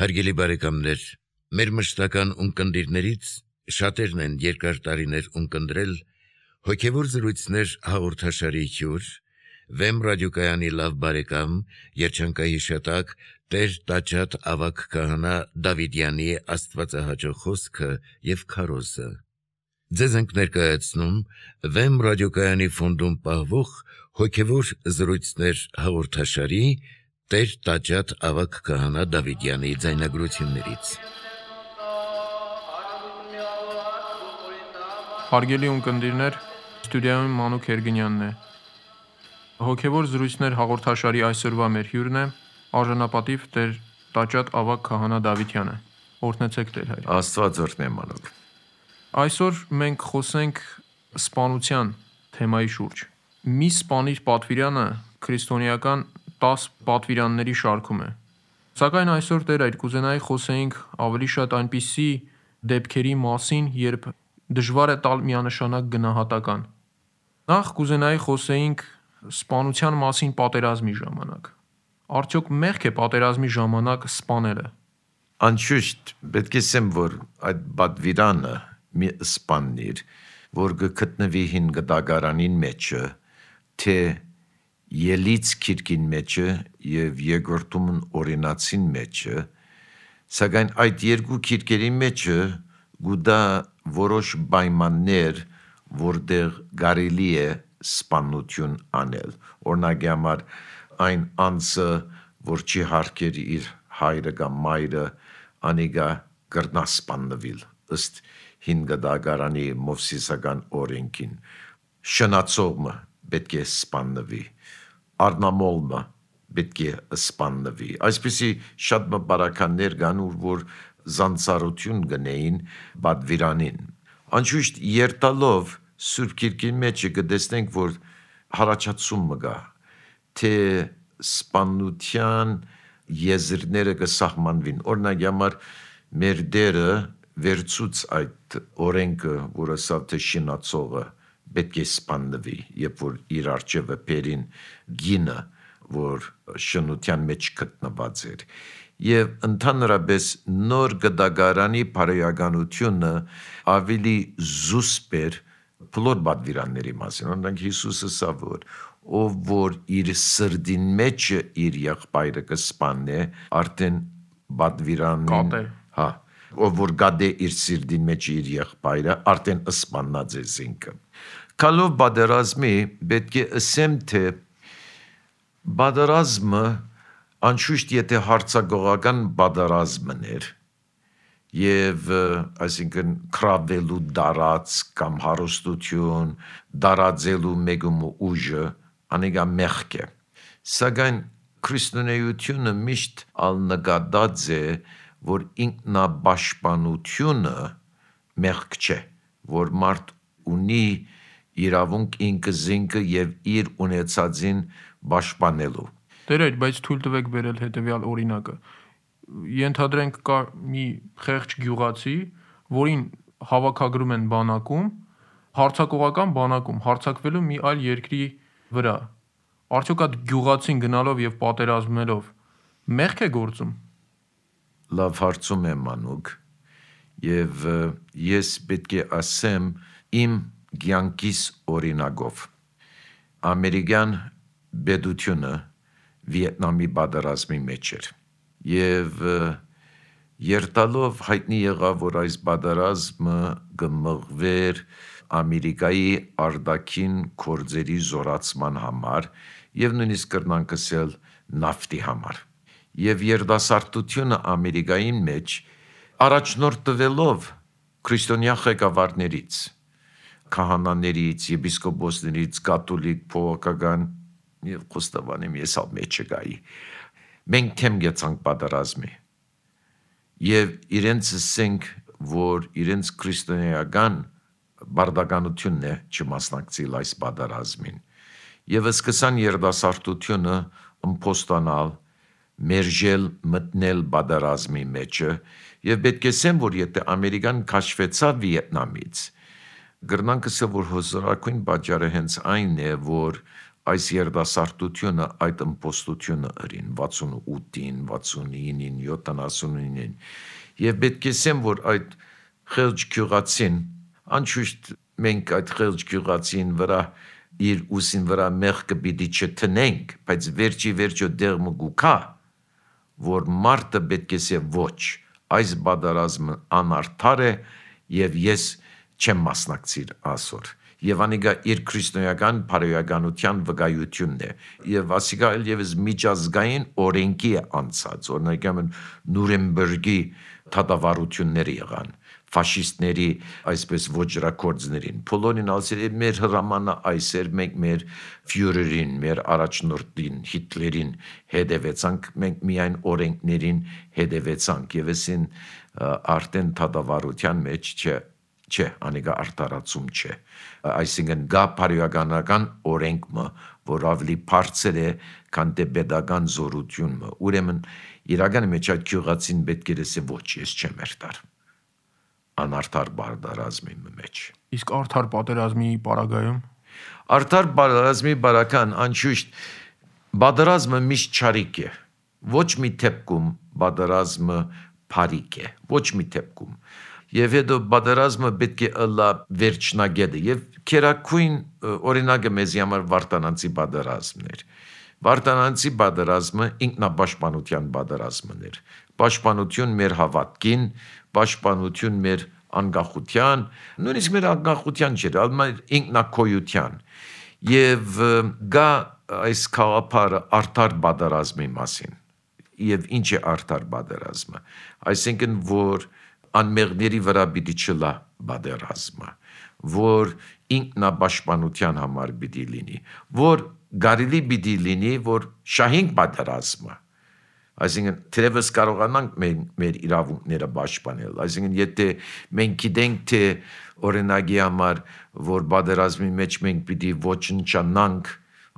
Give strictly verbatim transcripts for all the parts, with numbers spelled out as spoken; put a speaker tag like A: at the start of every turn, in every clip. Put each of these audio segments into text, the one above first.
A: Հարգելի բարեկամներ, մեր մշտական ունկնդիրներից շատերն են երկար տարիներ ունկնդրել հոգևոր զրույցներ հաղորդաշարի հյուր, Վեմ ռադիոկայանի լավ բարեկամ, երջանկահիշատակ Տեր Տաճատ ավագ քահանա Դավիդյանի աստվածահաճո խոսքը և քարոզը։ Ձեզ ենք ներկայացնում Վեմ ռադիոկայանի ֆոնդում պահվող հոգևոր զրույցներ հաղորդաշարի Տեր Տաճատ ավագ քահանա Դավիդյանի ձայնագրություններից։
B: Հարգելի ունկնդիրներ, ստուդիայում Մանուկ Երգինյանն է։ Հոգևոր զրույցներ հաղորդաշարի այսօրվա մեր հյուրն է արժանապատիվ Տեր Տաճատ ավագ քահանա Դավիդյանը։ Օրհնեցեք Տեր հայր։
C: Աստված օրհնե Մանուկ։
B: Այսօր մենք խոսենք սպանության թեմայի շուրջ։ Մի սպանիր պատվիրանը քրիստոնեական տաս պատվիրանների շարքում է։ Սակայն այսօր Տեր այդ կուզենայի խոսեինք ավելի շատ այնպիսի դեպքերի մասին, երբ դժվար է տալ միանշանակ գնահատական։ Նախ կուզենայի խոսեինք սպանության մասին պատերազմի ժամանակ։ Արդյոք մեղք է պատերազմի ժամանակ սպանելը։
C: Անշուշտ պետք է ասեմ, որ այդ պատվիրանը մի սպաննիր, որ գտնվի հին գդագարանին մեջը, թե ելից քիրքին մեջը և երկրորդումն օրինացին մեջը, սակայն այդ երկու քիրքերի մեջը գուտա որոշ պայմաններ, որտեղ կարելի է սպանություն անել։ Օրինակի համար այն անձը, որ չի հարգեր իր հայրը կամ մայրը, անիկա կրնա սպաննվել ըստ հին գդագարանի մովսիսական օրենքին։ Շնացողը պետք է սպաննվի, արնամոլը պետք է սպաննվի։ Այսպիսի շատ մբարականներ կան, որ զանցարություն գնեին պատվիրանին։ Անշուշտ երթալով Սուրբ Գիրքի մեջ կտեսնենք, որ հարաճացումը կա, թե սպանության եզրները կսահմանվին։ Օրինակ համար մեր Տերը վերցուց այդ օրենքը, որ ասավ թե շնացողը պետք է սպաննվի, երբ որ իր առջևը բերին գինը, որ շնության մեջ գտնված էր։ Եվ ընդհանրապես նոր գդագարանի բարոյականությունը ավելի զուսպ էր բոլոր պատվիրանների մասին։ Օրինակ Հիսուսը ասավ, որ ով որ իր սրտին մեջ իր եղբայրը կսպանե, արդեն պատվիրանին, հա, ով որ գադե իր սրտին մեջ իր եղբայրը, արդեն սպանած է ինքը։ Կալով պատերազմի պետք է ասեմ, թե պատերազմը անշուշտ եթե հարձակողական պատերազմն էր և այսինքն քրավելու դարած կամ հարստություն, դարածելու մեկում ուժը, անիկա մեղք է։ Սակայն քրիստոնեությունը միշտ ալնկատած է, որ ինքնապաշտպանությունը մեղք չէ, որ մարդ ունի իրավունք ինքը զինքը և իր ունեցածին պաշտպանելու։
B: Տեր այդ, բայց թույլ տվեք բերել հետևյալ օրինակը։ Ենթադրենք կա մի խեղճ գյուղացի, որին հավաքագրում են բանակում, հարձակողական բանակում, հարձակվելու մի այլ երկրի վրա։ Արդյոք այդ գյուղացին գնալով և պատերազմելով մեղք է գործում։
C: Լավ հարցում եմ Մանուկ, և ես պետք է ասեմ իմ կյանքիս օրինակով։ Ամերիկյան պետությունը Վիետնամի պատերազմի մեջ էր և երթալով հայտնի եղավ, որ այս պատերազմը կմղվեր Ամերիկայի արտաքին գործերի զորացման համար և նույնիսկ կրնանք ասել նավթի համար։ Եվ երիտասարդությունը Ամերիկայի մեջ առաջնորդվելով քրիստոնյա ղեկավարներից, քահանաներից, եպիսկոպոսներից, կաթոլիկ, փողոքական և խոստովանեմ ես ալ մեջը գայի։ Մենք թեմ գեցանք պատերազմի և իրենց ասենք, որ իրենց քրիստոնեական բարդականությունն է չմասնակցել այս պատերազմին և սկսան երիտասարդությունը ըմբոստանալ, մերժել, մտնել պատերազմի մեջը և պետք է ասեմ, որ եթե Ամերիկան քաշվեցավ Վիետնամից, կրնանք ասել, որ հոզորակույն պատճառը հենց այն է, որ այս երդասարտությունը, այդ ըմպոստությունը ըրին վաթսունութին, վաթսունինին, յոթանասունինին եւ պետք է ասեմ, որ այդ խեղճ գյուղացին անշուշտ մենք այդ խեղճ գյուղացին վրա իր ուսին վրա մեղքը պիտի չտնենք, բայց վերջի վերջո դեղ մգուկա, որ մարդը պետք է ասե ոչ, այս բادرազմը անարդար է եւ ես չեմ մասնակցիր ասոր։ Եվ անիգա իր քրիստոնեական բարոյականության վկայությունն է եւ ասիկա ելևս միջազգային օրենքի է անցած, օրինակ Նուրեմբերգի թադավարությունները եղան ֆաշիստների այսպես ոճրակորձներին բոլորին ասել մեր հրամանը այս էր մենք մեր ֆյուրերին մեր առաջնորդին Հիտլերին հետևեցանք մենք միայն օրենքներին հետևեցանք եւ այսին արդեն թադավարության մեջ չէ չէ անիգա արտարացում չէ այսինքն գա բարոյականական օրենքը որ ավելի բարձր է քան դե pedagogan զորությունը ուրեմն իրական մեջ այդ գյուղացին պետք է ասե ոչ ես չեմ երթար անարդար բادرազմի մեջ
B: Իսկ արդար պատերազմի պարագայում
C: արդար պատերազմի բարական անշուշտ բادرազմը միշտ չարիք է ոչ մի դեպքում բادرազմը փարիք է ոչ մի դեպքում եւ հետո բادرազմը պետք է ըլլա վերջնագետը եւ քերակույն օրինակը մեզի համար Վարդանանցի բادرազմն էր Վարդանանցի բادرազմը ինքնապաշտպանության բادرազմն էր պաշտպանություն մեր հավատքին պաշտպանություն մեր անկախության նույնիսկ մեր անկախության չէր այլ ինքնակոյության եւ գա այս խաղապարը արդար բادرազմի մասին եւ ինչ է արդար բادرազմը այսինքն որ անմեղների վրա պիտի չլա բادرազմը որ ինքնապաշտպանության համար պիտի լինի որ գարիլի պիտի լինի որ շահենք բادرազմը այսինքն թերևս կարողանանք մենք մեր իրավունքները պաշտպանել այսինքն եթե մենք գիտենք թե օրինակի համար որ բادرազմի մեջ մենք պիտի ոչնչանանք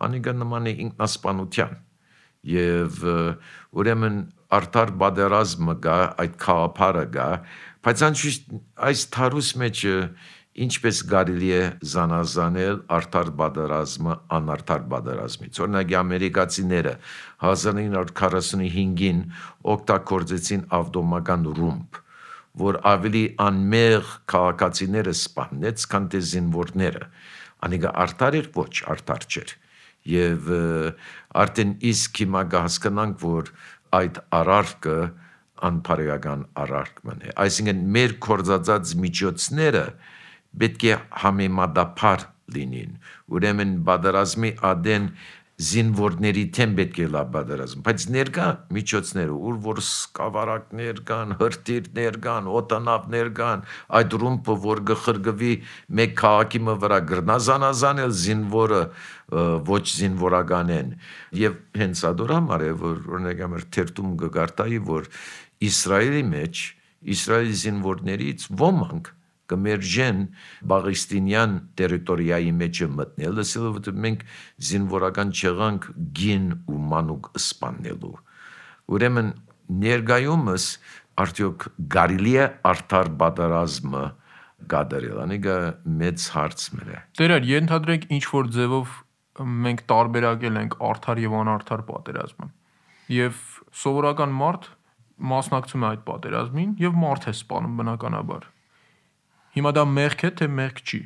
C: անիկա նման է ինքնասպանության եւ ուրեմն արդար բادرազմը գա այդ խաղապարը գա բայց անշուշտ այս թարուս մեջ ինչպես կարելի է զանազանել արդար բادرազմը անարդար բادرազմից օրինակ ամերիկացիները հազար ինը հարյուր քառասունհինգին օգտագործեցին ավտոմական ռումբ որ ավելի անմեղ քաղաքացիները սպանեց քան թե զինվորները անիկա արդար էր ոչ արդար չէր եւ արդեն իսկ հիմա կհասկանանք որ այդ արարքը անբարոյական արարքն է այսինքն մեր կորզածած միջոցները պետք է համեմատաբար լինին ուրեմն բادرազմի ադեն զինվորների թեմ պետք է լա բادرազմ բայց ներկա միջոցները ուր որ սկավառակներ կան հրթիռներ կան օտանավներ կան այդ ռումբը որ գխրգվի մեկ քաղաքի վրա գրնազանազանել զինվորը ոչ զինվորական են եւ հենց ադոր համար է որ օրինակ ամեր թերթում գարտայի որ Իսրայելի մեջ Իսրայելի զինվորներից ոմանք կմերժեն բաղիստինյան տերիտորիայի մեջ մտնել, ասելով որ մենք զինվորական չեղանք գին ու մանուկ սպանելու։ Ուրեմն ներկայումս արդյոք կարելի է արդար բادرազմը կատարել, անիկա մեծ հարց մը։
B: Տերեր, ենթադրենք ինչ որ ձևով մենք տարբերակել ենք արդար եւ անարդար պատերազմը։ Եվ սովորական մարդ մասնակցում է այդ պատերազմին եւ մարդ է սպանում բնականաբար։ Հիմա դա մեղք է, թե մեղք չի։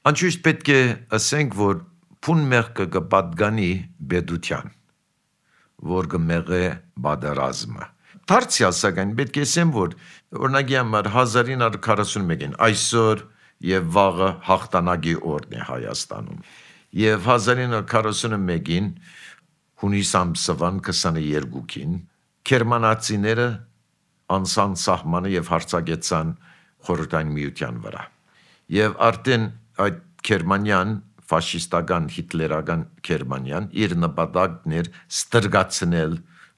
C: Անշուշտ պետք է ասենք, որ փուն մեղքը կպատկանի բեդության, որ կմեղե բادرազմը։ Դարձյալ սակայն պետք է ասեմ, որ օրինակի համար հազար ինը հարյուր քառասունմեկին այսօր եւ վաղը հաղթանակի օրն է Հայաստանում։ Եվ հազար ինը հարյուր քառասունմեկին հունիս ամսվան քսաներկուին գերմանացիները անցան սահմանը եւ հարձակեցան խորհրդային միության վրա։ Եվ արդեն այդ Գերմանիան, ֆաշիստական հիտլերական Գերմանիան իր նպատակն էր ստրգացնել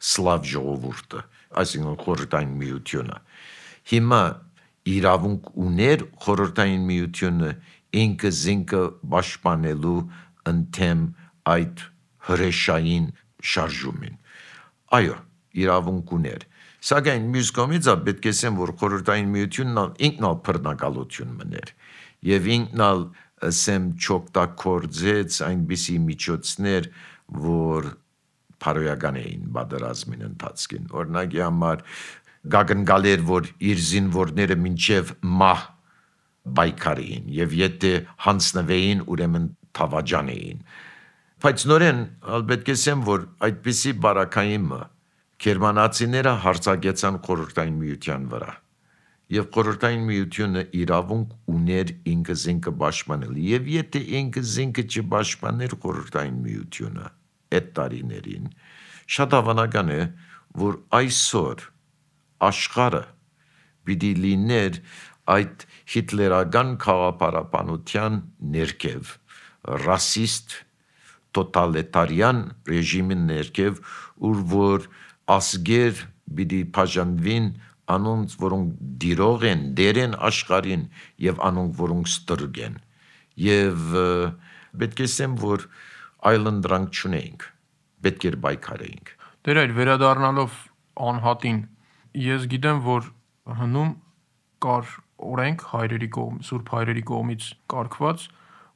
C: սլավ ժողովուրդը, այսինքն խորհրդային միությունը։ Հիմա իրավունք ուներ խորհրդային միությունը ինքը զինքը պաշտպանելու ընդեմ այդ հրեշային շարժումին։ Այո, իրավունք ուներ։ Սակայն մյուս կողմից պետք է ասեմ, որ խորհրդային միությունն ինքն ալ բռնակալություն մներ եւ ինքն ալ ասեմ չօգտագործեց այնպիսի միջոցներ, որ փարոյական էին պատերազմին ընթացքին։ Օրինակի համար գագնգալեր, որ իր զինվորները մինչև մահ բայկարին եւ եթե հանձնվեին ուրեմն թավաջան էին։ Բայց նորեն պետք է ասեմ, որ այդպիսի բարակայինը գերմանացիները հարձակեցան խորհրդային միության վրա եւ խորհրդային միությունը իրավունք ուներ ինքը զինքը պաշտպանել եւ եթե ինքը զինքը չպաշտպաներ խորհրդային միությունը այդ տարիներին շատ հավանական է, որ այսօր աշխարհը պիտի լիներ այդ հիտլերական քաղաքապարապանության ներքև ռասիստ տոտալիտարյան ռեժիմի ներքև ուր որ ասգեր պիտի բաժանվին անոնց որոնք դիրող են դերեն աշխարհին եւ անոնք որոնք ստրուկ են եւ պետք է ասեմ որ այլընտրանք չունենք պետք է բայկարեինք
B: Դեր այլ վերադառնալով անհատին ես գիտեմ որ հնում կար օրենք հայրերի կողմ սուրբ հայրերի կողմից կարգված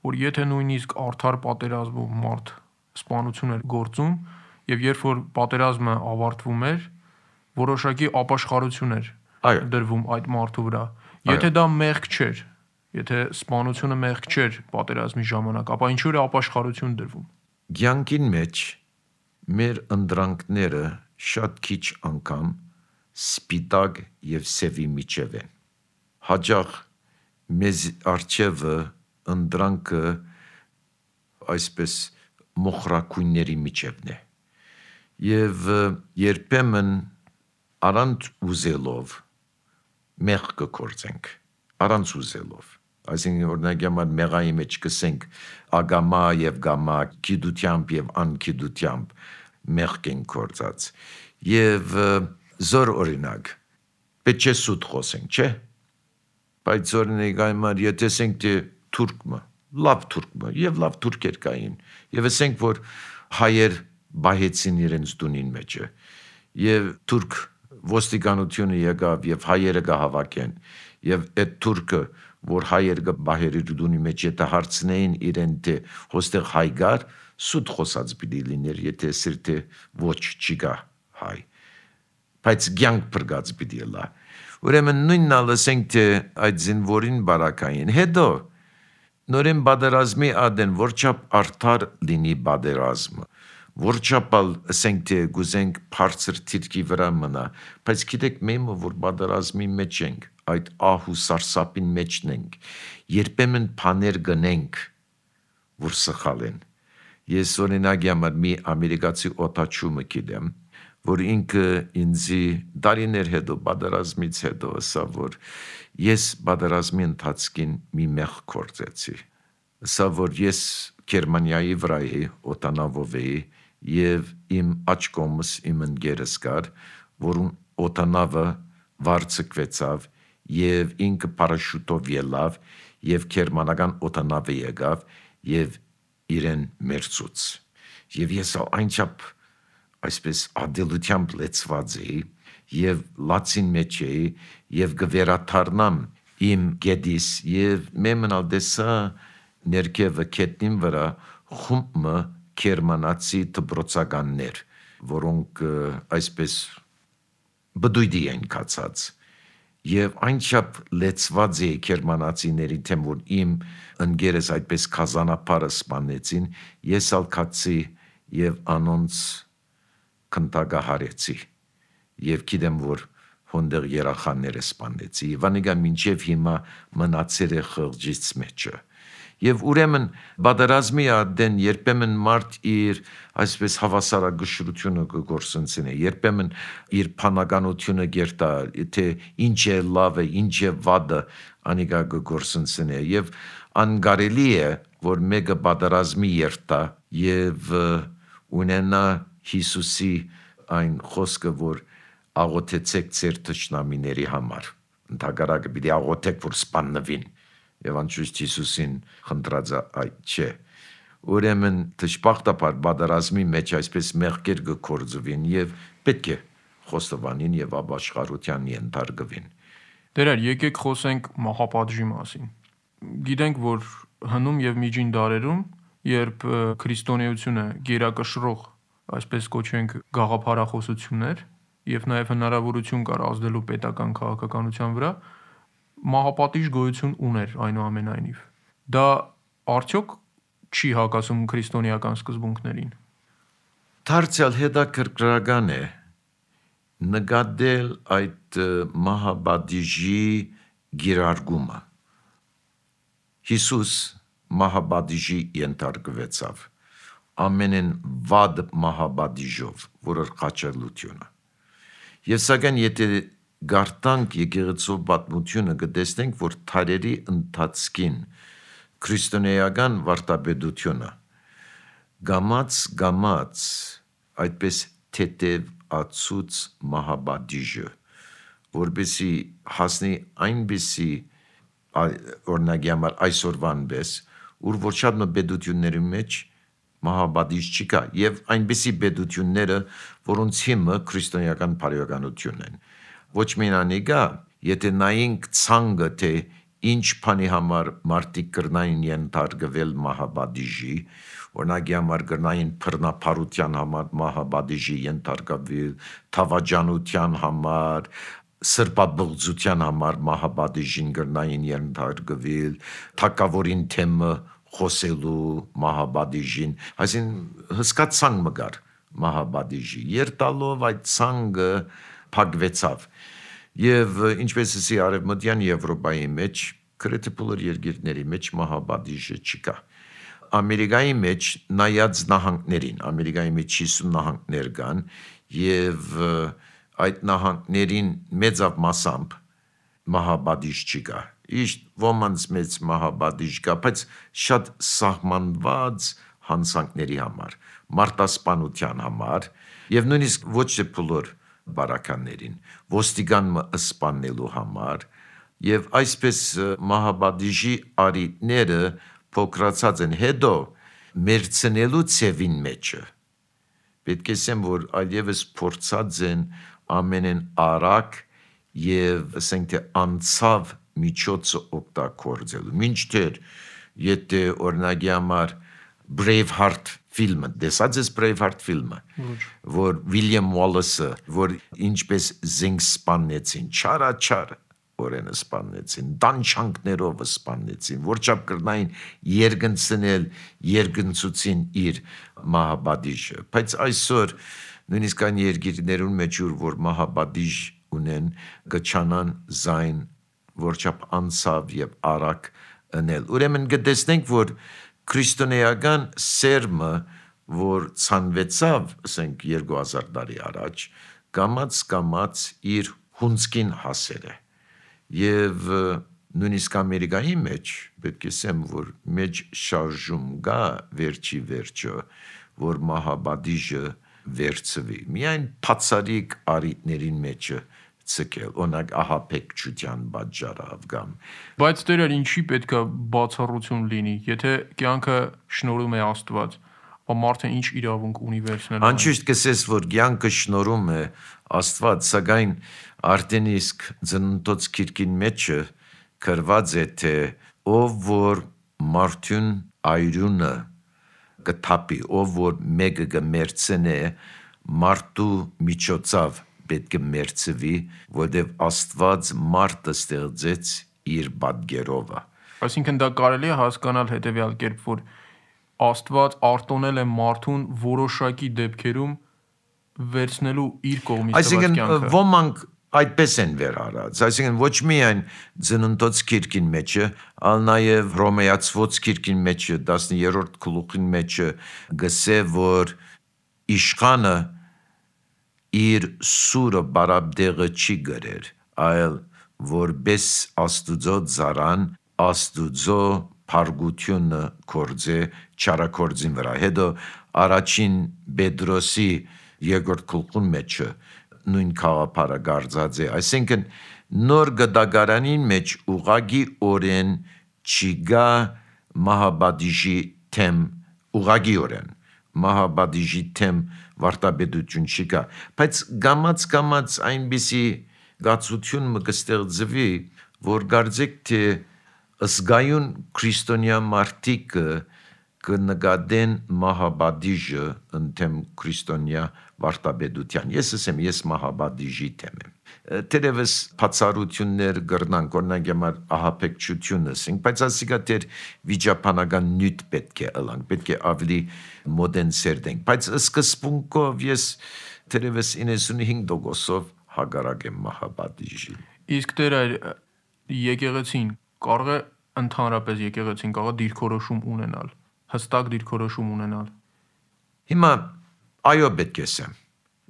B: որ եթե նույնիսկ արդար պատերազմում մարդ սպանություն էր գործում եւ երբ որ պատերազմը ավարտվում էր որոշակի ապաշխարություն էր դրվում այդ մարդու վրա եթե դա մեղք չէր եթե սպանությունը մեղք չէր պատերազմի ժամանակ ապա ինչու է ապաշխարություն դրվում
C: Գյանքին մեջ մեր ընդրանքները շատ քիչ անգամ սպիտակ եւ սևի միջև են հաջող մեզ արչևը ընդրանքը այսպես մոխրակույնների միջևն է եւ երբեմն առանց ուզելով մեղք կգործենք առանց ուզելով այսինքն օրինակ համար մեղայի մեջ կսենք ագամա եւ գամա գիտությամբ եւ անկիտությամբ մեղք են գործած եւ զոր օրինակ պետք է սուտ խոսենք չէ բայց օրինակ համար եթե ասենք թե թուրքը լավ թուրքը եւ լավ թուրքեր կային եւ ասենք որ հայեր բայեցին իրենց դունին մեջը եւ թուրք ոստիկանությունը եկավ եւ հայերը գահավաքեն եւ այդ թուրքը որ հայերը գահերի դունի մեջ եթե հարցնեին իրեն թե հոստեղ հայ գար սուտ խոսած պիտի լիներ եթե սիրտը ոչ չգա հայ բայց ցանկ բրգած պիտի լա ուրեմն նույնն ասենք թե այդ զինվորին բարակային հետո նորեն բادرազմի ադեն որչապ արդար լինի բادرազմը որչապալ ասենք թե գուզենք բարձր թիրքի վրա մնա բայց գիտեք մենք որ բادرազմի մեջ ենք այդ ահու սարսափին մեջն ենք երբեմն բաներ գնենք որ սխալ են ես օրինակ համար մի ամերիկացի օտաչումը գիտեմ որ ինքը ինձի դարիներ հետո բادرազմից հետո ասա որ ես բادرազմի ընթացքին մի մեղք գործեցի ասա որ ես Գերմանիայի վրա էի օտանավով էի եւ իմ աչքոմս իմ ընկերս կար որուն օտանավը վարձկվեցավ եւ ինքը պարաշուտով ելավ եւ գերմանական օտանավը եկավ եւ իրեն մերցուց եւ ես այնչափ այսպես ադելությամբ լեցված էի եւ լացին մեջ էի եւ գվերաթարնամ իմ գեդիս եւ մեմնալ դեսա ներքևը կետնին վրա խումբը գերմանացի դպրոցականներ որոնք այսպես բդույդի են կացած եւ այնչափ լեցված էի գերմանացիների թեմ որ իմ ընկերս այդպես կազանապարը սպանեցին ես ալ կացի եւ անոնց կնտագահարեցի եւ գիտեմ որ հոնդեր երախաները սպանեցի վանիգա մինչեւ հիմա մնացել է խղճից մեջը եւ ուրեմն բادرազմի ադեն երբեմն մարդ իր այսպես հավասարագշրությունը կգործընծնի երբեմն իր փանականությունը գերտա թե ինչ է լավը ինչ է վադը անիգա կգործընծնի եւ անգարելի է որ մեկը բادرազմի երտա եւ ունենա Հիսուսի այն խոսքը որ աղոթեցեք ձեր թշնամիների համար ընդհակառակը պիտի աղոթեք որ սպաննվին եւ անշուշտ Հիսուսին խնդրած այդ չէ ուրեմն դժբախտաբար բادرազմի մեջ այսպես մեղքեր կգործվին եւ պետք է խոստովանին եւ ապաշխարության ենթարկվին
B: Դերեր եկեք խոսենք մահապատժի մասին գիտենք որ հնում եւ միջին դարերում, երբ քրիստոնեությունը գերակշռող, այսպես կոչենք, գաղափարախոսություններ եւ նաեւ հնարավորություն կար ազդելու պետական քաղաքականության վրա, մահապատիժ գոյություն ուներ այնուամենայնիվ։ Դա արդյոք չի հակասում քրիստոնեական սկզբունքներին։
C: Դարձյալ հետաքրքրական է նկատել այդ մահապատիժի գիրարգումը։ Հիսուս մահապատիժի ենթարկվեցավ ամենեն վատ մահապատիժով, որը խաչելությունը։ Եվ սակայն եթե գարտանք եկեղեցու պատմությունը կտեսնենք, որ թարերի ընթացքին քրիստոնեական վարդապետությունը գամած գամած այդպես թեթև ացուց մահապատիժը, որպեսի հասնի այնպիսի օրինակի համար այսօրվան պես, ուր որ շատ մը պետությունների մեջ մահապատիժ չկա, եւ այնպիսի պետությունները, որոնց հիմը քրիստոնեական բարոյականությունն են։ Ոչ միայն անգա, եթե նայենք ցանկը, թե ինչ բանի համար մարդիկ կրնային ենթարկվել մահապատիժի, օրինակի համար կրնային բռնապարության համար մահապատիժի ենթարկվել, թավաջանության համար, սրբաբղծության համար մահապատիժին կրնային ենթարկվել, թակավորին թեմը խոսելու մահապատիժին, այսինքն հսկա ցանկ մգար մահապատիժի, երտալով այդ ցանկը փակվեցավ։ Եվ ինչպես ասի արևմտյան Եվրոպայի մեջ, գրեթե բոլոր երկիրների մեջ մահապատիժը չկա։ Ամերիկայի մեջ նայած նահանգներին, Ամերիկայի մեջ հիսուն նահանգներ կան, եւ այդ նահանգներին մեծավ մասամբ մահապատիժ չկա։ Իշտ ոմանց մեծ մահապատիժ կա, բայց շատ սահմանված հանցանքների համար, մարտասպանության համար, եւ նույնիսկ ոչ թե բոլոր բարականերին, ոստիկանը սպանելու համար, եւ այսպես մահապատիժի արիտները փոքրացած են, հետո մերցնելու ցևին մեջը։ Պետք է ասեմ, որ այլևս փորձած են ամենեն արագ եւ ասենք թե անցավ միջոցը օգտագործելու։ Մինչդեռ եթե օրինակի համար Braveheart ֆիլմը, տեսած ես Braveheart ֆիլմը, որ Վիլյամ Ուոլեսը, որ ինչպես զենք սպանեցին, չարաչար օրենը սպանեցին, տանչանքներով սպանեցին, որչափ կրնային երկնցնել, երկնցուցին իր մահապատիժը։ Բայց այսօր նույնիսկ այն երկիրներուն մեջ որ մահապատիժ ունեն, գչանան զայն, որչափ անցավ եւ արագ ընել։ Ուրեմն կտեսնենք, որ քրիստոնեական սերմը, որ ցանվեցավ, ասենք երկու հազար տարի առաջ, կամած կամած իր հունցքին հասել է։ Եվ նույնիսկ Ամերիկայի մեջ պետք է ասեմ, որ մեջ շարժում կա վերջի վերջը, որ մահապատիժը վերցվի։ Միայն բացառիկ արիտներին մեջը ցկել, օրինակ ահաբեկչության պատճառով կամ։
B: Բայց դերեր ինչի պետքա բացառություն լինի, եթե կյանքը շնորհում է Աստված, ապա մարդը ինչ իրավունք ունի վերցնել։
C: Անշուշտ կսես, որ կյանքը շնորհում է Աստված, սակայն արդեն իսկ ծննդոց քիրքին մեջը գրված է, թե ով որ մարդուն այրունը կթափի, ով որ մեկը կմերցնե, մարդու միջոցով պետք է մերցվի, որտեղ Աստված մարդը ստեղծեց իր պատկերով։
B: Այսինքն դա կարելի է հասկանալ հետևյալ կերպ, որ Աստված արտոնել է մարդուն որոշակի դեպքերում վերցնելու իր կողմից տված կյանքը։
C: Այսինքն ոմանք այդպես են վերարած, այսինքն ոչ միայն ծննդոց քիրքին մեջը, այլ նաև Հռոմեացված քիրքին մեջը տասներորդ գլուխին մեջը գսե, որ իշխանը իր սուրը բարաբդեղը չի գրեր, այլ որպես Աստուծո ծառան Աստուծո փարգությունը կործե չարակործին վրա։ Հետո առաջին Պետրոսի երկրորդ գլխուն մեջը նույն խաղապարը գարձած է, այսինքն նոր գդագարանին մեջ ուղագի օրեն չգա մահապատիժի թեմ, ուղագի օրեն մահապատիժի թեմ վարտապետություն չկա, բայց գամած գամած այնպիսի գացություն մը կստեղծվի, որ գարձեք թե Ըսգայուն քրիստոնյա մարդիկը կնկատեն մահաբադիժը ընդեմ քրիստոնյա վարտաբեդության։ Ես ասեմ, ես մահաբադիժի թեմ եմ։ Տերևս բացառություններ կրնանք, օրինակ համար ահաբեկչությունը ասենք, բայց ասիկա դեր վիճապանական նյութ պետք է ըլանք, պետք է ավելի մոդեն սերդենք։ Բայց սկզբունքով ես տերևս իննսունհինգ տոկոսով հագարակ եմ մահաբադիժին։
B: Իսկ դեր այլ եկեղեցին կարող է ընդհանրապես եկեղեցին կարող է դիրքորոշում ունենալ, հստակ դիրքորոշում ունենալ։
C: Հիմա այո պետք է ասեմ,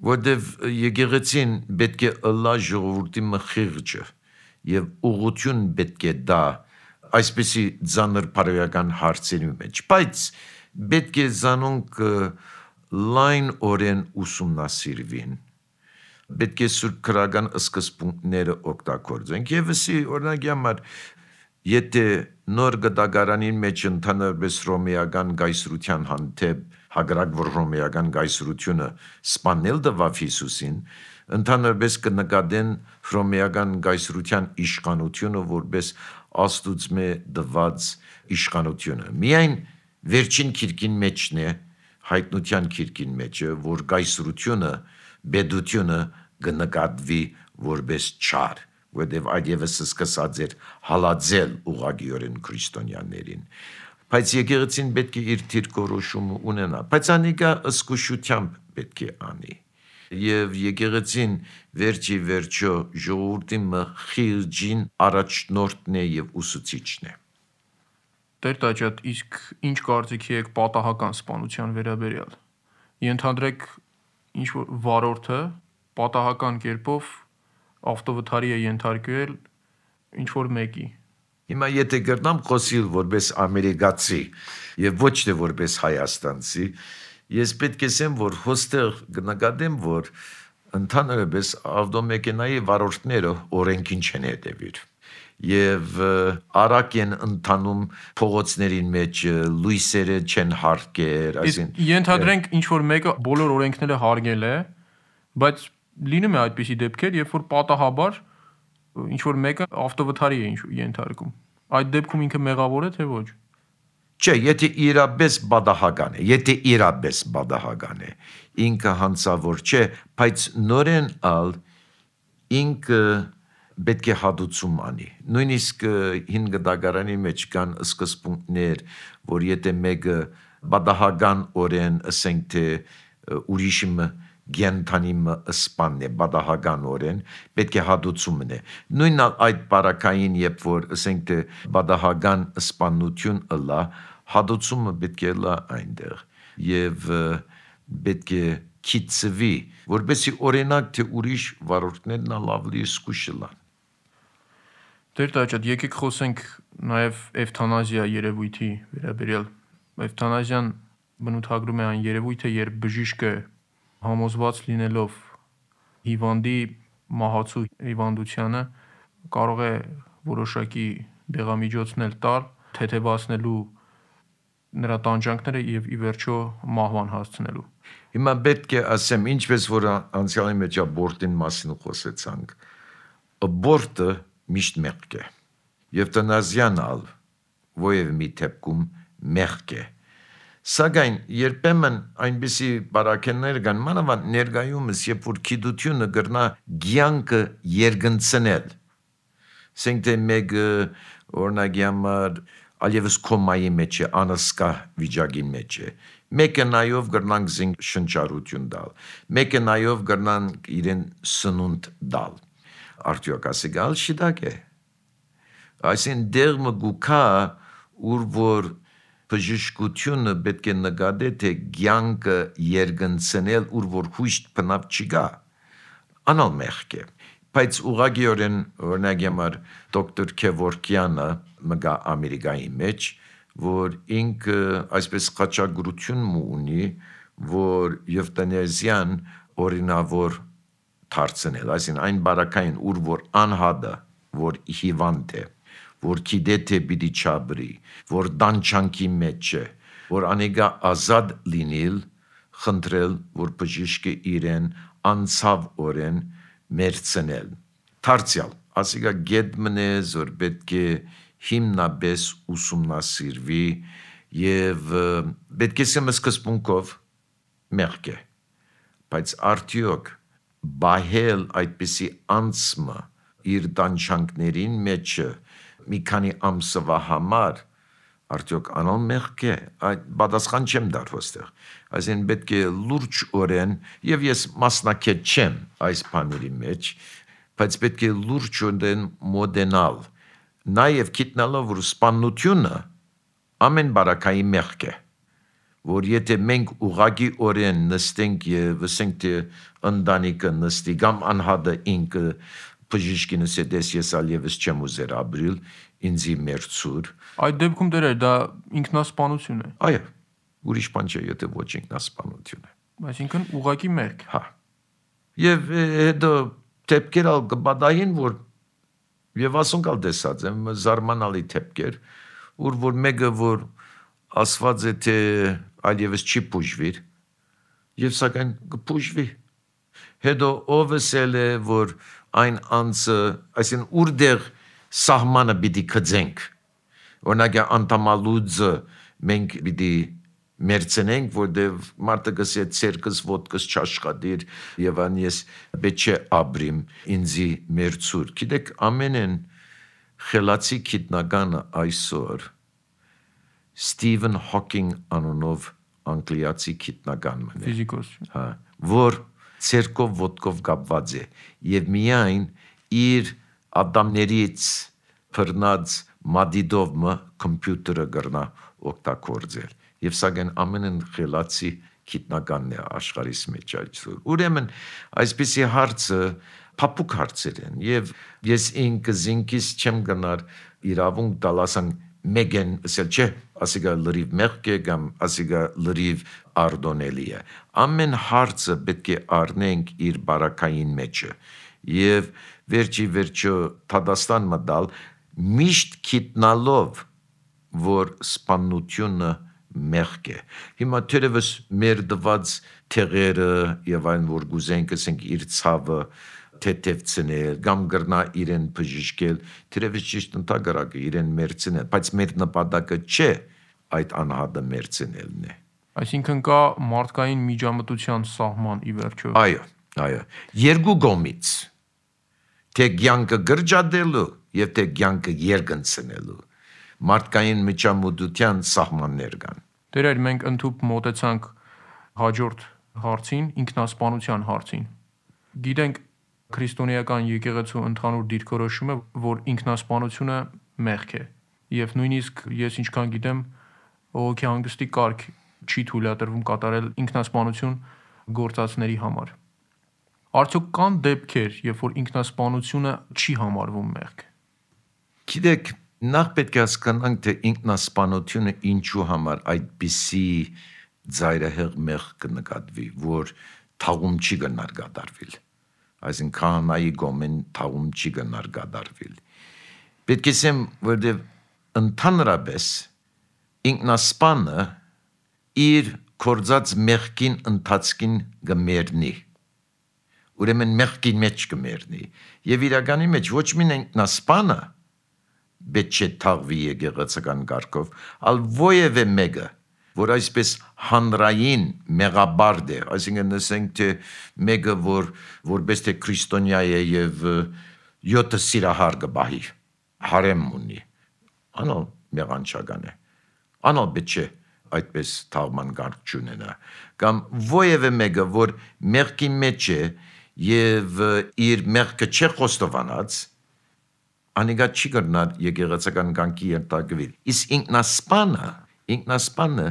C: որտեվ եկեղեցին պետք է ըլլա ժողովրդի մխիղճը եւ ուղղություն պետք է դա այսպիսի ծանր բարոյական հարցերի մեջ, բայց պետք է զանոնք լայն օրեն ուսումնասիրվին, պետք է սուրբ քրական սկզբունքները օգտագործենք եւ ասի օրինակի համար եթե նոր գդագարանին մեջ ընդհանրապես ռոմեական գայսրության հանդեպ հագրակ որ ռոմեական գայսրությունը սպանել դվավ Հիսուսին, ընդհանրապես կնկատեն ռոմեական գայսրության իշխանությունը որպես աստուծմե դված իշխանությունը։ Միայն վերջին քիրքին մեջն է, հայտնության քիրքին մեջը, որ գայսրությունը, բեդությունը կնկատվի որպես չար, որտեվ այդ եւս սկսած էր հալածել ուղղակիորեն քրիստոնյաներին։ Բայց եկեղեցին պետք է իր դիրքորոշումը ունենա, բայց անիկա ըսկուշությամբ պետք է անի։ Եվ եկեղեցին վերջի վերջո ժողովրդի մխիղճին առաջնորդն է եւ ուսուցիչն է։
B: Տեր Տաճատ, իսկ ինչ կարծիքի եք պատահական սպանության վերաբերյալ։ Ենթադրեք ինչ որ վարորդը պատահական կերպով ավտովթարի է ենթարկվել ինչ որ մեկի։
C: Հիմա եթե գրնամ խոսիլ որպես ամերիկացի եւ ոչ թե որպես հայաստանցի, ես պետք է ասեմ, որ հոստեղ կնկատեմ, որ ընդհանրապես ավտոմեքենայի վարորդները օրենքին չեն հետևիր եւ արագ են ընթանում փողոցներին մեջ, լույսերը չեն հարկեր,
B: այսին ենթադրենք ինչ որ մեկը բոլոր օրենքները հարգել է, բայց լինում է այդպիսի դեպքեր, երբ որ պատահաբար ինչ որ մեկը ավտովթարի է ենթարկում։ Այդ դեպքում ինքը մեղավոր է թե ոչ։
C: Չէ, եթե իրապես բադահական է, եթե իրապես բադահական է, ինքը հանցավոր չէ, բայց նորեն ալ ինքը պետք է հատուցում անի։ Նույնիսկ հին գդագարանի մեջ կան սկզբունքներ, որ եթե մեկը բադահական օրեն ասենք թե ուրիշը գենթանիմը սպանն է բադահական օրեն, պետք է հատուցումն է։ Նույնն այդ բարակային, երբ որ ասենք թե բադահական սպանություն ըլա, հատուցումը պետք է լա այնտեղ եւ պետք է քիծվի, որպեսզի օրինակ թե ուրիշ վարորդներն ավելի սկուշլան։
B: Տեր Տաճատ, եկեք խոսենք նաեւ էվթանազիա երևույթի վերաբերյալ։ Էվթանազիան բնութագրում է այն երևույթը, երբ բժիշկը համոզված լինելով հիվանդի մահացու հիվանդությանը կարող է որոշակի դեղամիջոցներ տալ, թեթևացնելու նրա տանջանքները եւ ի վերջո մահվան հասցնելու։
C: Հիմա պետք է ասեմ, ինչպես որ անցյալի մեջ աբորտին մասին խոսեցանք, աբորտը միշտ մեղք է։ Եվթանազիան ալ ովև մի դեպքում մեղք է։ Սակայն երբեմն այնպիսի բարակեններ կան, մանավանդ ներկայումս, երբ որ գիտությունը կրնա կյանքը երկնցնել։ Ասենք թե մեկը օրինակի համար այլևս կոմայի մեջ է, անհսկա վիճակի մեջ է։ Մեկը նայով կրնանք զինք շնչառություն տալ, մեկը նայով կրնանք իրեն սնունդ տալ։ Արդյոք ասիկալ շիտակ է։ Այսին դեղը գուքա, ուր որ բժշկությունը պետք է նկատի, թե կյանքը երկնցնել, ուր որ հույս բնավ չկա, անալ մեղք է։ Բայց ուղղակիորեն օրինակ համար դոկտոր Քևորքյանը մգա Ամերիկայի մեջ, որ ինքը այսպես խաչագրություն ունի, որ եվթանազիան օրինավոր դարձնել, այսին այն բարակային, ուր որ անհատը, որ հիվանդ է, որ գիտե թե պիտի չաբրի, որ տանջանքի մեջ է, որ անիկա ազատ լինել, խնդրել, որ բժիշկը իրեն անցավ օրեն մերցնել։ Դարձյալ, ասիկա գետ մնես, որ պետք է հիմնապես ուսումնասիրվի եւ պետք է ասեմ սկզբունքով մեղք է, բայց արդյոք բահել այդպիսի անցմը իր դանչանքներին մեջը մի քանի ամսվա համար արդյոք անոն մեղք է, այդ պատասխան չեմ դար ոստեղ, այսին պետք է լուրջ օրեն, և ես մասնակետ չեմ այս բաների մեջ, բայց պետք է լուրջ օրեն մոդենալ, նաև գիտնալով, որ սպանությունը ամեն բարակայի մեղք է, որ եթե մենք ուղղակի օրեն նստենք և ասենք թե ընտանիքը նստի, կամ անհատը ինքը բժիշկինս հետես ես ալ ևս չեմ ուզեր ապրիլ, ինձի մերցուր։
B: Այդ դեպքում դերեր, դա ինքնասպանություն է։
C: Այո, ուրիշ բան չէ, եթե ոչ ինքնասպանություն է։
B: Այսինքն ուղղակի մեղք։
C: Հա։ Եվ հետո դեպքեր ալ կբադային, որ եւ ասոնքալ տեսած եմ զարմանալի դեպքեր, ուր որ մեկը որ ասված է թե այլևս չի բուժվիր, եւ սակայն կբուժվի։ Հետո ով է որ այն անձը, այսին ուրդեղ սահմանը պիտի կծենք, օրինակ անդամալուձը մենք պիտի մերցնենք, որտեվ մարդը գսե ցերկս ոտքս չաշխատիր եւ ան ես պետք է ապրիմ ինձի մերցուր։ Գիտեք ամենեն խելացի գիտնականը այսօր Ստիվեն Հոքինգ անունով անգլիացի գիտնական մն է։
B: Ֆիզիկոս։
C: Հա, որ ցերկով ոտքով կապված է եւ միայն իր ադամներից բռնած մադիդովը կոմպյուտերը գրնա օգտագործել եւ սակայն ամենն խելացի գիտնականն է աշխարհիս մեջ այսօր։ Ուրեմն այսպիսի հարցը փափուկ հարցեր են եւ ես ինքս ինքս չեմ գնար իրավունք տալասան մեկեն ասել չէ ասիգա լրիվ մեղք է կամ ասիգա լրիվ արդոնելի է ամեն հարցը պետք է առնենք իր բարակային մեջը եւ վերջի վերջո Թադաստան մտալ միշտ գիտնալով որ սպանությունը մեղք է հիմա թերևս մեր դված թեղերը եւ այն որ գուզենք ասենք իր ցավը թեթևցնել կամ գրնա իրեն բժշկել թերևս ճիշտ ընդհանրակը իրեն մերցնել բայց մեր նպատակը չէ այդ անհատը մերցնելն է
B: Այսինքն կա մարդկային միջամտության սահման ի վերջո
C: Այո այո երկու կողմից թե ցանկը գրջադելու եւ թե ցանկը երկընցնելու մարդկային միջամտության սահմաններ կան
B: Դերեր մենք ընդհուպ մոտեցանք հաջորդ հարցին ինքնասպանության հարցին Գիտենք քրիստոնեական եկեղեցու ընդհանուր դիրքորոշումը, որ ինքնասպանությունը մեղք է, եւ նույնիսկ ես ինչքան գիտեմ, ողոքի հանգստի կարգ չի թույլատրվում կատարել ինքնասպանություն գործածների համար։ Արդյոք կան դեպքեր, երբ որ ինքնասպանությունը չի համարվում մեղք։
C: Գիտեք, նախ պետք է հասկանանք, թե ինքնասպանությունը ինչու համար այդպիսի ծայրահեղ մեղք կնկատվի, որ թաղում չի գնար կատարվել։ Այսինքն քահանայի գոմեն թաղում չի գնար կատարվել։ Պետք է ասեմ, որտեղ ընդհանրապես ինքնասպանը իր կորձած մեղքին ընթացքին կմեռնի։ Ուրեմն մեղքի մեջ կմեռնի։ Եվ իրականի մեջ ոչ միայն ինքնասպանը պետք է թաղվի եկեղեցական կարգով, այլ ովևէ մեկը որ այսպես հանրային մեղաբարդ է, այսինքն ասենք թե մեկը որ որպես թե քրիստոնյա է եւ յոթ սիրահար կբահի, հարեմ ունի, անալ մեղանչական է, անալ պետք է այդպես թաղման կարգ չունենա, կամ ովևէ մեկը որ մեղքի մեջ է եւ իր մեղքը չէ խոստովանած, անիկա չի կրնար եկեղեցական կարգի ենթարկվել, իսկ ինքնասպանը ինքնասպանը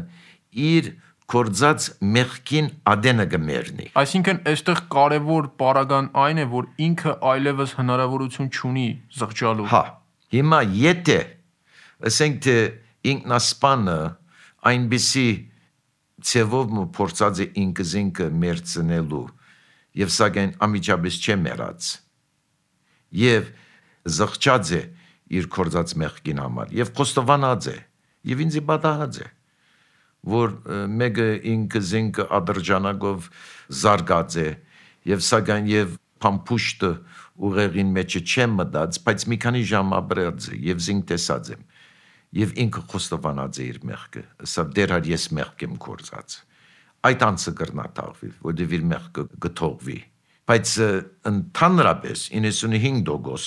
C: իր կորձած մեղքին ադենը կմեռնի։
B: Այսինքն այստեղ կարևոր պարագան այն է, որ ինքը այլևս հնարավորություն չունի զղջալու։
C: Հա, հիմա եթե ասենք թե ինքնասպանը այնպիսի ցևով փորձած է ինքս ինքը մերցնելու եւ սակայն ամիջապես չէ մեռած եւ զղջած է իր կորձած մեղքին համար եւ խոստովանած է Եվ ինձ պատահած է, որ մեկը ինքս ինքը ադրջանակով զարգած է, և սակայն և պամպուշտը ուղեղին մեջը չեմ մտած, բայց մի քանի ժամ ապրած է եւ զինք տեսած եմ։ Եվ ինքը խոստովանած է իր մեղքը, սա դեռ ես մեղք եմ կործած։ Այդ անձը կրնա թաղվի, որտեղ իր մեղքը գթողվի։ Բայց ընդհանրապես իննսունհինգ տոկոս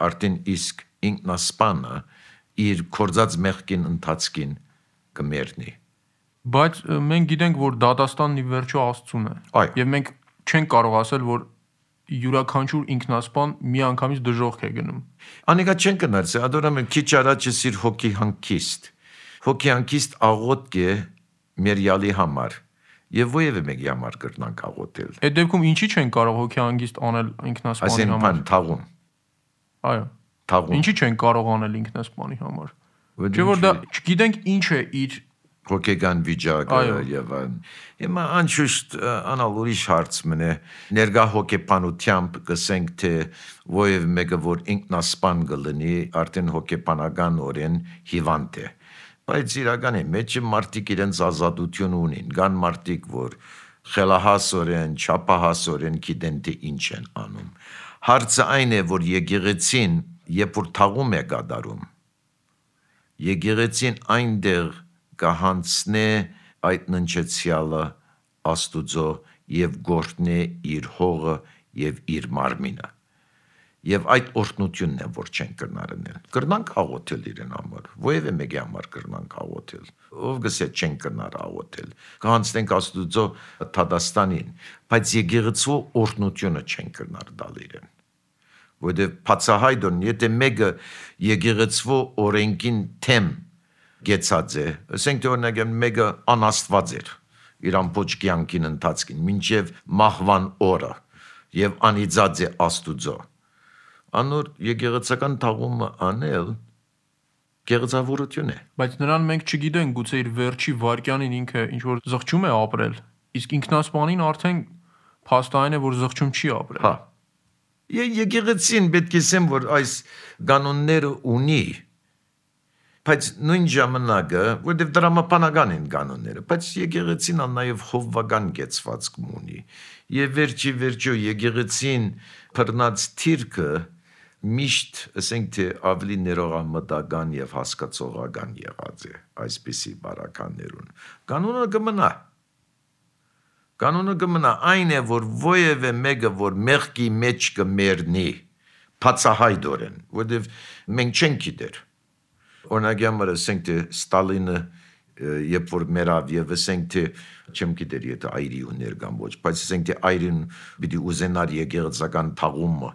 C: արդեն իսկ ինքնասպանը իր կործած մեղքին ընթացքին կմեռնի։
B: Բայց մենք գիտենք, որ դատաստանն ի վերջո Աստծուն է։ Եվ մենք չենք կարող ասել, որ յուրաքանչյուր ինքնասպան միանգամից դժոխք է գնում։
C: Անիկա չեն կնարս, ադորամ եմ քիչ առաջ սիր հոգի հանգիստ։ Հոգի հանգիստ աղոթք է մերյալի համար եւ ովևէ մեկի համար կրնանք աղոթել։
B: Այդ դեպքում ինչի չեն կարող հոգի հանգիստ անել ինքնասպանի համար։
C: Այսինքն թաղում։
B: Այո։
C: Թաղում։
B: Ինչի չեն կարող անել ինքնասպանի համար։ Չէ՞ որ դա չգիտենք ինչ է իր
C: հոգեգան վիճակը եւ այն։ Հիմա անշուշտ անալ ուրիշ հարց մնե ներգա հոգեբանությամբ կսենք թե ովևէ մեկը որ ինքնասպան կլինի արդեն հոգեբանական օրեն հիվանդ է։ Բայց իրականի մեջ մարդիկ իրենց ազատություն ունին, կան մարդիկ որ խելահասորեն, չափահասորեն գիտեն թե ինչ են անում։ Հարցը այն է որ եկեղեցին երբ որ թաղում է կատարում, եկեղեցին այնտեղ կհանցնե այդ ննչեցյալը Աստուծո եւ գործնե իր հողը եւ իր մարմինը եւ այդ օրհնությունն է որ չեն կրնարնել կրնանք աղոթել իրեն համար ովևէ մեկի համար կրնանք աղոթել ով գսե չեն կրնար աղոթել կհանցնենք Աստուծո Թադաստանին բայց եկեղեցու օրհնությունը չեն կրնար տալ իրեն որովհետեւ բացահայտորեն եթե մեկը եկեղեցու օրենքին թեմ գեցած է, ասենք թե օրինակ մեկը անաստված էր իր ամբողջ կյանքին ընթացքին, մինչև մահվան օրը եւ անիծած է Աստուծո։ Անոր եկեղեցական թաղումը անել գեղեցավորություն է։
B: Բայց նրան մենք չգիտենք, գուցե իր վերջի վարքյանին ինքը ինչ որ զղջում է ապրել, իսկ ինքնասպանին արդեն փաստային է որ զղջում չի ապրել։
C: Հա։ Եկեղեցին պետք է ասեմ որ այս կանոնները ունի բայց նույն ժամանակը, որտեղ դրամապանական են կանոնները, բայց եկեղեցին նաև հովվական գեցվածք ունի։ Եվ վերջի վերջո եկեղեցին բռնած թիրքը միշտ, ասենք թե ավելի ներողամտական եւ հասկացողական եղած է այսպիսի բարականներուն։ Կանոնը կմնա։ Կանոնը կմնա այն է, որ ովևէ մեկը որ մեղքի մեջ կմեռնի, բացահայտորեն, որտեղ մենք չենք գիտեր Օրինակ համար ասենք թե Ստալինը երբ որ մեռավ եւ ասենք թե չեմ գիտեր եթե այրի ուներ կամ ոչ բայց ասենք թե այրին պիտի ուզենար եկեղեցական թաղումը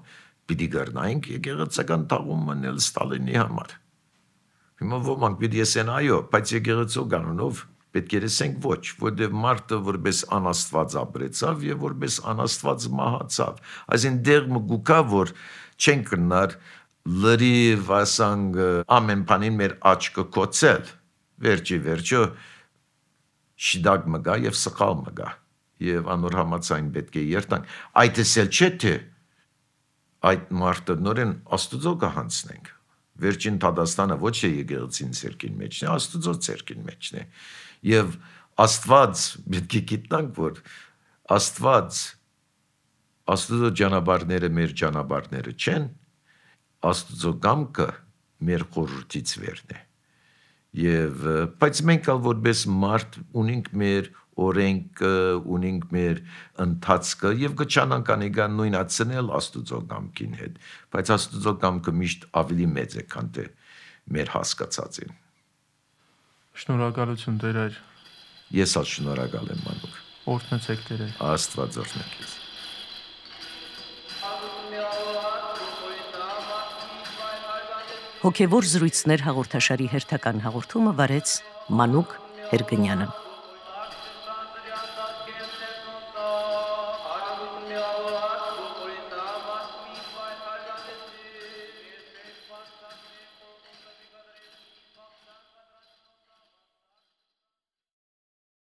C: պիտի գտնայինք եկեղեցական թաղումը նել Ստալինի համար հիմա ոմանք պիտի ասեն այո բայց եկեղեցու կանոնով պետք է ասենք ոչ որտեղ մարդը որպես անաստված ապրեցավ եւ որպես անաստված մահացավ այսինքն դեր մգուկա որ չեն կնար լրիվ ասանք ամեն բանին մեր աչքը կոծել վերջի վերջո շիդակ մգա եւ սխալ մգա եւ անոր համացայն պետք է երթանք այդ էսել չէ թե այդ մարդը նորեն Աստուծո կհանցնենք վերջին Թադաստանը ոչ է եկեղեցին ցերկին մեջն է Աստուծո ցերկին մեջն է եւ Աստված պետք է գիտնանք որ Աստված Աստուծո ճանապարհները մեր ճանապարհները չեն Աստուծո կամքը մեր խորհրդից վերն է եւ բայց մենք ալ որպես մարդ ունենք մեր օրենքը ունենք մեր ընթացքը եւ կչանանք անիկան նույնացնել Աստուծո կամքին հետ բայց Աստուծո կամքը միշտ ավելի մեծ է քան թե մեր հասկացածին
B: Շնորհակալություն Տեր
C: Ես ալ շնորհակալ եմ մանուկ
B: Օրհնեցեք Տեր
C: Աստված օրհնեք քեզ
D: Հոգևոր զրույցներ հաղորդաշարի հերթական հաղորդումը վարեց Մանուկ Հերգնյանը